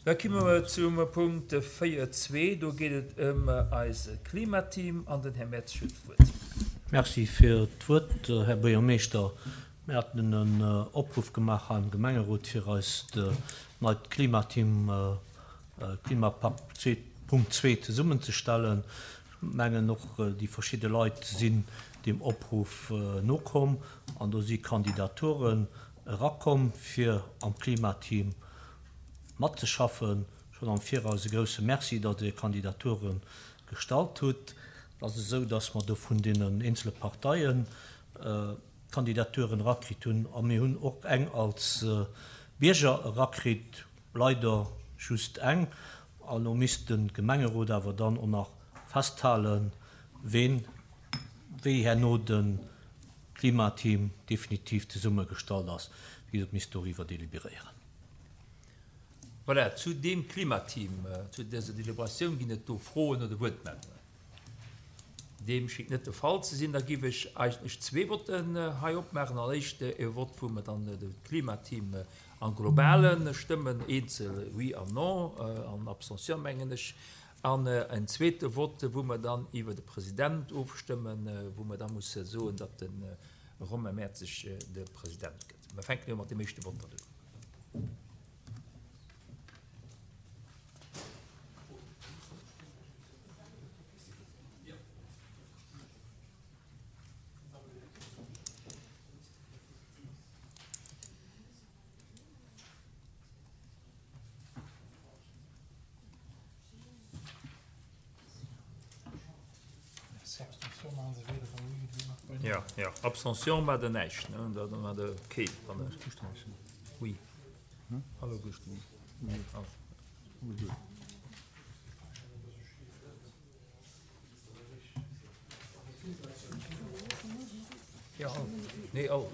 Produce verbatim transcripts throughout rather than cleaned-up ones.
Da komme mer zum Punkt véier zwee. Do geet et ëm eise Klimateam an den Här Mertz huet d'Wuert. Merci fir d'Wuert, Här Buergermeeschter. Mir haten en Opruff gemaach hei am Gemengerot, fir eist neit Klimateam, Klimapakt zwee Punkt zwee zesummenzestellen. Ech mengen och déi verschidde Leit sinn deem Opruff nokomm an do si Kandidaturen erakomm, fir am Klimateam matzeschaffen. Schonn am Viraus e grousse Merci, datt Dir Kandidature gestallt hutt. Et ass esou, datt mer do vun deenen eenzele Parteien Kandidaturen erakritt hunn a mir hunn och eng als Bierger erakritt, leider just eng. An elo misst de Gemengerot awer dann och nach festhalen, ween, wéi herno de Klimateam definitiv zesummegestallt ass. Wéi gesot, misst doriwwer deliberéieren. Voilà, zu deem Klimateam, zu dëser Deliberatioun ginn et do Froen oder Wuertmeldungen? Deem schéngt net de Fall ze sinn. Da géif ech eigentlech zwee Votten hei opmaachen. Als éischt e Vott, wou mer dann de Klimateam am Globale stëmmen, eenzel Oui an Non an Abstention, mengen ech. An en zweete Vott, wou mer dann iwwer de President ofstëmmen, wou mer da musse soen, datt de Romain Mertzig de President gëtt. Mer fänken elo mat deem éischte Vott dann un. Ja, ja. Abstention war der näischt, ne? Da war der keen. Oui. Hallo, Ja, all. Nee, all.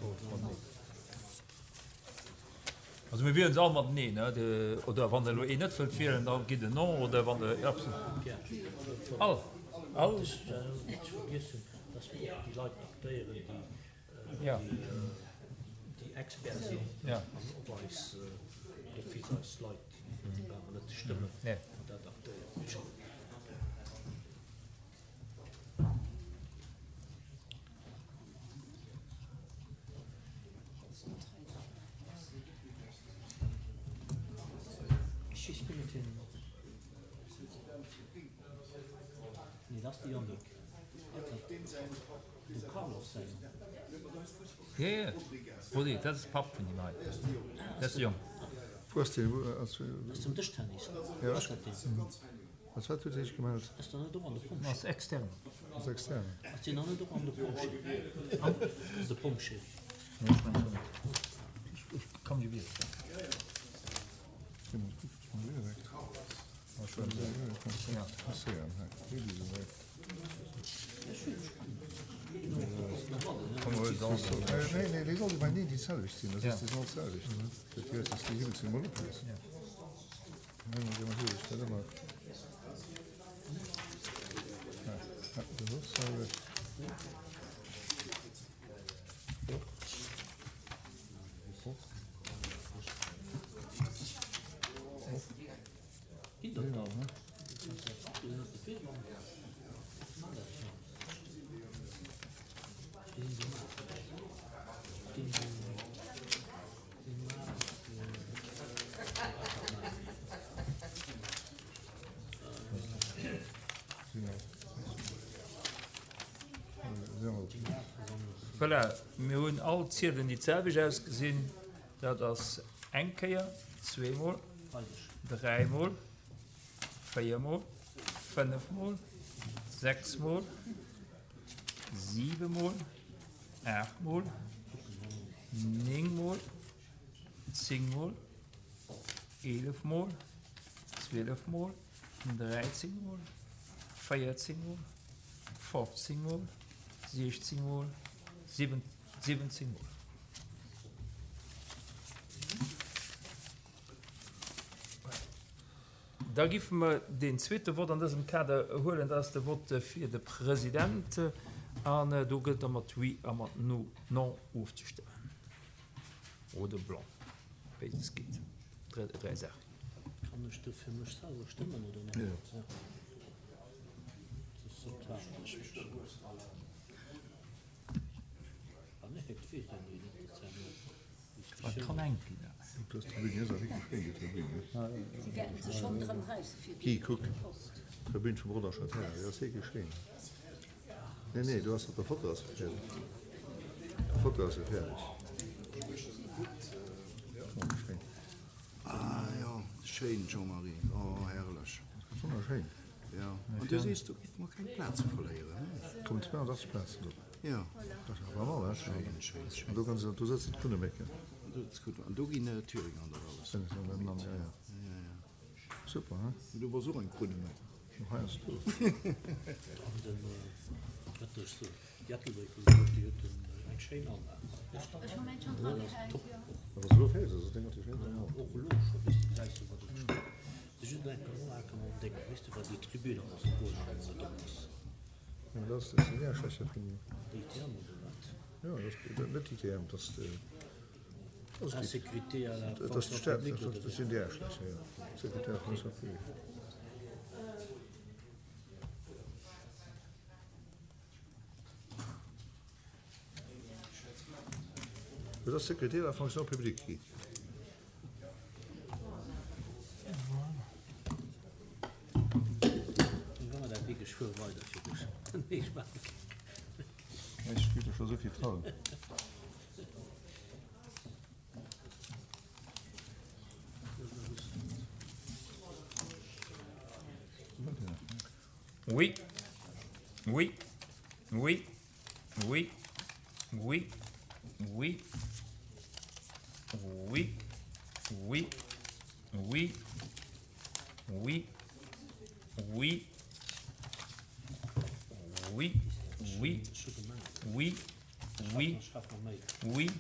Also mir wielen se all mat Nee, ne? De, oder wann der elo een net wëllt wielen, da gitt en Non, oder wann der All. All. Ech vergiessen, dass mir och déi Leit aktéieren, déi, Ja. déi Expert sinn Ja. an op eis, d'office eis Leit, déi brauche mer net ze stëmmen, Nee. an dat aktéieren. Nee, dat ass de Yannick. De Carlos säin. Ja, ja. Rudi, dat ass de Papp vun deem hei. Dat ass de Jong. Wou ass deen? Wou ass. Dat ass zum Dëschtennis. Ja. Ass dat deen? Als wat huet hie sech gemellt? Ass der net och an de Pompjee? Ass extern. Ass extern. Ass deen dann net och an de Pompjee? An de Pompjee. Nee, ech mengen net. Ech kann mech iwwer. Nee, déi sollte bei nee déi selwecht sinn. Dat ass déi sinn all d'selwecht. Dat heescht, dass déi hiwwel sinn emol oppassen. Nee, ma déi huet dat ëmmer. Ja, ja, dat ass d'selwecht. Och. Och. Och. Ginn dat dann? Voilà, mir hunn all Ziedelen, déi d'selwecht ausgesinn. Dat ass eng Kéier, zweemol, dräimol, véiermol, fënnefmol, sechsmol, siwemol, aachtmol, néngmol, zéngmol, eelefmol, zwielefmol, dräizéngmol, véierzéngmol, fofzéngmol, siechzéngmol, siwwenzéngmol. Da giffe mer deen zweete Vott an dësem Kader huelen, dat ass de Vott fir de President. An do gëllt da mat Oui a mat Non ofzestëmmen. Oder Blanc, béides geet. Dräi Saachen. Kann ech do fir mech selwer stëmmen oder net? Jo. Ja. Dat ass sympathesch. Ah nee, dat weess ech net. Dat ass ja nur Dat kann eng ginn. Dës Tribün hier ass awer wierklech schéin, déi Tribün, ne? Si wäerten sech schonn drëm räisse fir Guy, déi kuck, Post. d'Tribün vum Rodange Terrain, déi ass wierklech schéin. Nee, nee, do ass op der Foto ass se fäerdeg. Op der Foto ass se fäerdeg. Wonnerschéin. Ah jo, schéin Jean-Marie, oh herrlech. Wonnerschéin. Jo, an du sees, do géife mer keng Plaze verléieren, he? Kommen zweeanachtzeg Plazen drop. Jo. Dat ass awer mal, he? Schéin, schéin, schéin. An do kann se, do sëtzen d'Krunnemécken. An do sëtzt d'Krunnemécken. An do ginn d'Thüringer an dat alles. Ja, ja, ja. Ja, ja. Super, he? Du bass och eng Krunneméck. Heiansdo. An den, wat ech soen, déi Ettelbréck wou se huet, déi huet eng schéin Anlag. Ech hu mäin schonn dra gehäit, Top jo. och. Wa se elo fäerdeg ass, ass dat Déng natierlech schéin. Ja, och elo scho, weess de, gesäis du, wat et steet. Se just eng Anlag an Déng, weess de, wat déi Tribün ass, wou en op ass. Jo, dat ass den Äerschlächer vum. D I T M oder wat? Jo, dat ass net d'I T M, dat ass de. Insécurité à la Dat ass fonction d'Stad, publique oder dat sinn déi Äerschlächer, jo. Sécurité à la fonction publique. Dat ass Sécurité à la fonction publique, Guy. Wa mer dat wierklech fuere weider fir dech. Nee, ech maache keng. Ech gi der scho souvill trauen. Oui. Oui. Oui. Oui. Oui. Oui. Oui. Oui. Oui. Oui. Oui. Oui. Oui. Oui. Oui. Oui.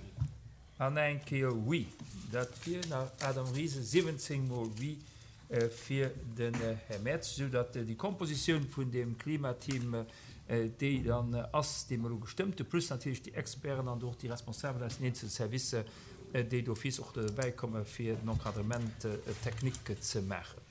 An eng Kéier oui. Dat wier nach Adam Ries, siwwenzéng mol oui fir den Här Merz, esou datt déi Kompositioun vun deem Klimateam, déi dann ass, déi mer elo gestëmmt hunn, plus natierlech déi Experten an och déi Responsabel aus den eenzelne Servicer, déi d'office och dobäi komme fir den Encadrement technique ze maachen.